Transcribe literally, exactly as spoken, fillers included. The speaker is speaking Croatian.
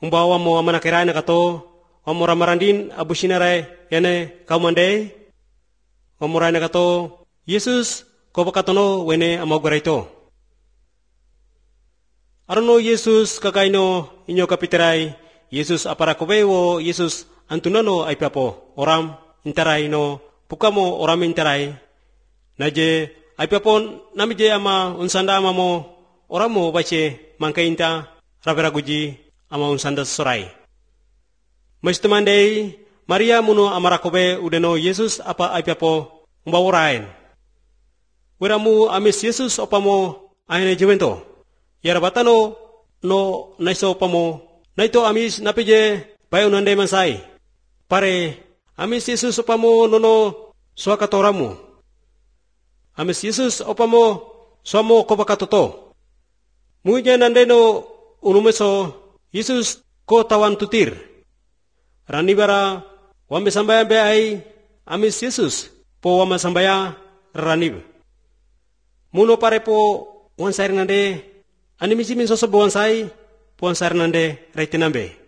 Umbawa mo amanakiray na kato, wamoramarandin abusinaray yane kaumandey, wamuray na kato, Yesus ko bakatono wene amagaray to. Arono Yesus kakaino inyo kapitiray, Yesus aparakobewo, Yesus antunano ay papo, oram intaray no, pukamo oram intaray, naje ay papo namije ama unsanda ama mo, oram mo bache mangkainta raberaguji ama unsanda soray. Maistumandey, Maria muno amarakobe udeno Yesus apa ay papo umbawurain. Weramu amis Yesus opamo ayne jewento. Yarabatano no naiso opamo naito amis napije bayo nande mansai. Pare amis Yesus opamo nono suakatoramu. Amis Yesus opamo suamo kobakatoto. Muja nande no unumeso Yesus ko tawan tutir. Ranibara wame sambaya be ay amis Yesus po wama sambaya ranib. Muno pare po wansay nande animisi min soso buwansay po wansay nande reitinambe.